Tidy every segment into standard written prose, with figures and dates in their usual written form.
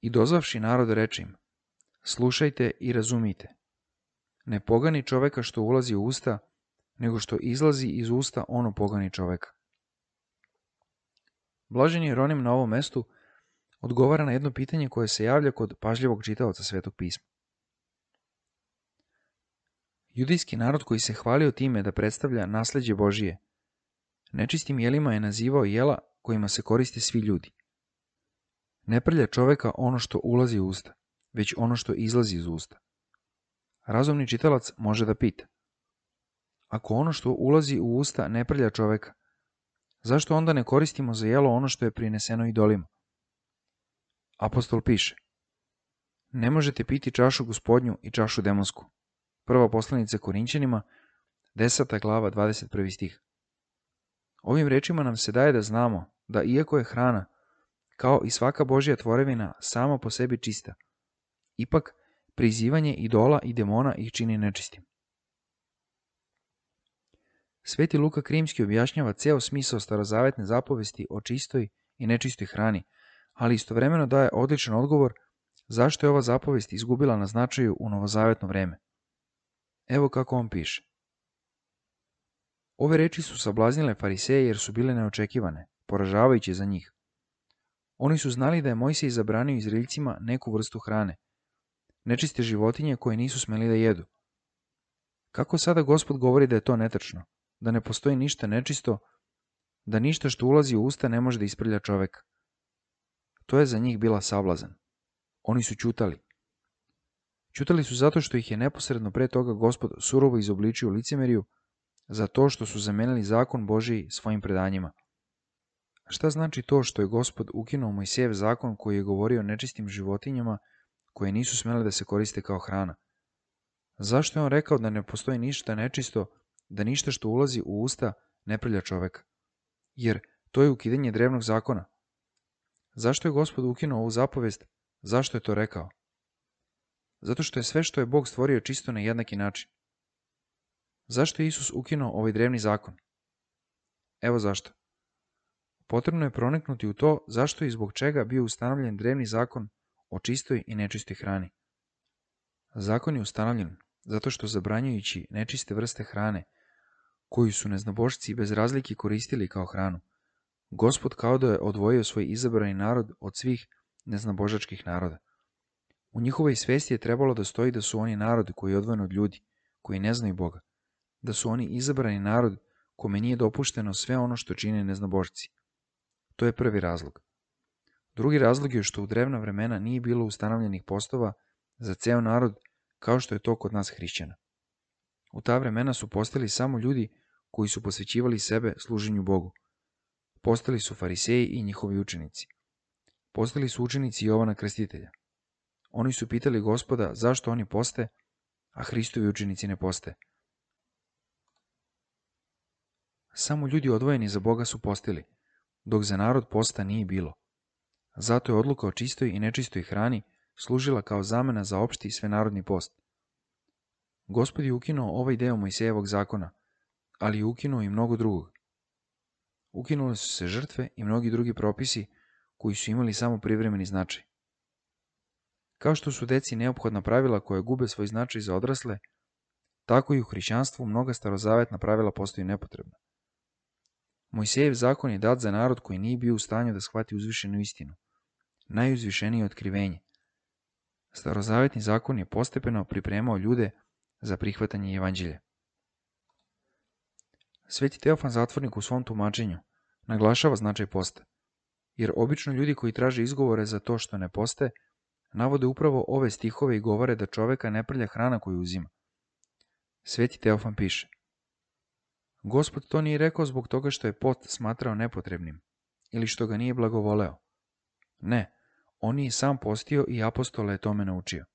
I dozvavši narod reče im, slušajte i razumite. Ne pogani čoveka što ulazi u usta, nego što izlazi iz usta ono pogani čoveka. Blažen Jeronim na ovom mestu odgovara na jedno pitanje koje se javlja kod pažljivog čitaoca Svetog pisma. Judijski narod koji se hvalio time da predstavlja nasleđe Božije, nečistim jelima je nazivao jela kojima se koriste svi ljudi. Ne prlja čoveka ono što ulazi u usta, već ono što izlazi iz usta. Razumni čitalac može da pita, ako ono što ulazi u usta ne prlja čoveka, zašto onda ne koristimo za jelo ono što je prineseno idolima? Apostol piše, ne možete piti čašu gospodnju i čašu demonsku. Prva poslanica Korinćanima, 10. glava, 21. stih. Ovim rečima nam se daje da znamo da iako je hrana, kao i svaka Božja tvorevina, sama po sebi čista, ipak prizivanje idola i demona ih čini nečistim. Sveti Luka Krimski objašnjava ceo smisao starozavetne zapovesti o čistoj i nečistoj hrani, ali istovremeno daje odličan odgovor zašto je ova zapovest izgubila na značaju u novozavetno vreme. Evo kako on piše. Ove reči su sablaznile fariseje jer su bile neočekivane, poražavajuće za njih. Oni su znali da je Mojsej zabranio Izraeljcima neku vrstu hrane, nečiste životinje koje nisu smeli da jedu. Kako sada Gospod govori da je to netačno, da ne postoji ništa nečisto, da ništa što ulazi u usta ne može da isprlja čoveka? To je za njih bila sablazan. Oni su ćutali. Ćutali su zato što ih je neposredno pre toga Gospod surovo izobličio licemeriju za to što su zamenili zakon Božiji svojim predanjima. Šta znači to što je Gospod ukinuo Mojsijev zakon koji je govorio o nečistim životinjama koje nisu smele da se koriste kao hrana? Zašto je on rekao da ne postoji ništa nečisto, da ništa što ulazi u usta ne prlja čoveka? Jer to je ukidanje drevnog zakona. Zašto je Gospod ukinuo ovu zapovest? Zašto je to rekao? Zato što je sve što je Bog stvorio čisto na jednaki način. Zašto je Isus ukinuo ovaj drevni zakon? Evo zašto. Potrebno je proniknuti u to zašto i zbog čega bio ustanovljen drevni zakon o čistoj i nečistoj hrani. Zakon je ustanovljen zato što zabranjujući nečiste vrste hrane, koju su neznabošci bez razlike koristili kao hranu, Gospod kao da je odvojio svoj izabrani narod od svih neznabožačkih naroda. U njihovoj svesti je trebalo da stoji da su oni narod koji je odvojen od ljudi, koji ne znaju Boga, da su oni izabrani narod kome nije dopušteno sve ono što čine neznabošci. To je prvi razlog. Drugi razlog je što u drevna vremena nije bilo ustanovljenih postova za ceo narod kao što je to kod nas hrišćana. U ta vremena su postali samo ljudi koji su posvećivali sebe služenju Bogu. Postali su fariseji i njihovi učenici. Postali su učenici Jovana Krstitelja. Oni su pitali Gospoda zašto oni poste, a Hristovi učenici ne poste. Samo ljudi odvojeni za Boga su postili, dok za narod posta nije bilo. Zato je odluka o čistoj i nečistoj hrani služila kao zamena za opšti i svenarodni post. Gospod je ukinuo ovaj deo Mojsejevog zakona, ali je ukinuo i mnogo drugog. Ukinule su se žrtve i mnogi drugi propisi koji su imali samo privremeni značaj. Kao što su deci neophodna pravila koje gube svoj značaj za odrasle, tako i u hrišćanstvu mnoga starozavetna pravila postaju nepotrebna. Mojsijev zakon je dat za narod koji nije bio u stanju da shvati uzvišenu istinu, najuzvišenije otkrivenje. Starozavetni zakon je postepeno pripremao ljude za prihvatanje evanđelja. Sveti Teofan Zatvornik u svom tumačenju naglašava značaj posta, jer obično ljudi koji traže izgovore za to što ne poste, navode upravo ove stihove i govore da čoveka ne prlja hrana koju uzima. Sveti Teofan piše: Gospod to nije rekao zbog toga što je post smatrao nepotrebnim ili što ga nije blagovoleo. Ne, on je sam postio i apostole je tome naučio.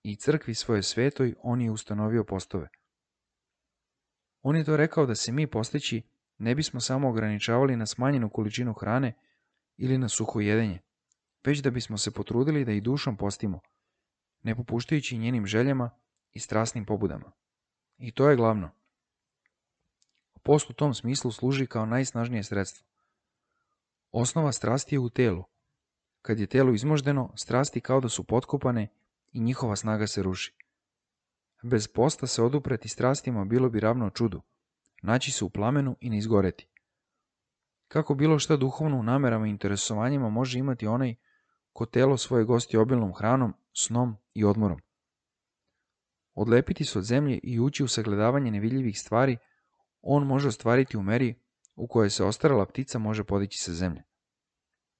I crkvi svoje svetoj on je ustanovio postove. On je to rekao da se mi posteći ne bismo samo ograničavali na smanjenu količinu hrane ili na suho jedenje, već da bismo se potrudili da i dušom postimo, ne popuštajući njenim željama i strasnim pobudama. I to je glavno. Post u tom smislu služi kao najsnažnije sredstvo. Osnova strasti je u telu. Kad je telo izmoždeno, strasti kao da su potkopane i njihova snaga se ruši. Bez posta se odupreti strastima bilo bi ravno čudu, naći se u plamenu i ne izgoreti. Kako bilo šta duhovno u namerama i interesovanjima može imati onaj ko telo svoje gosti obilnom hranom, snom i odmorom? Odlepiti se od zemlje i ući u sagledavanje nevidljivih stvari on može ostvariti u meri u kojoj se ostarala ptica može podići sa zemlje.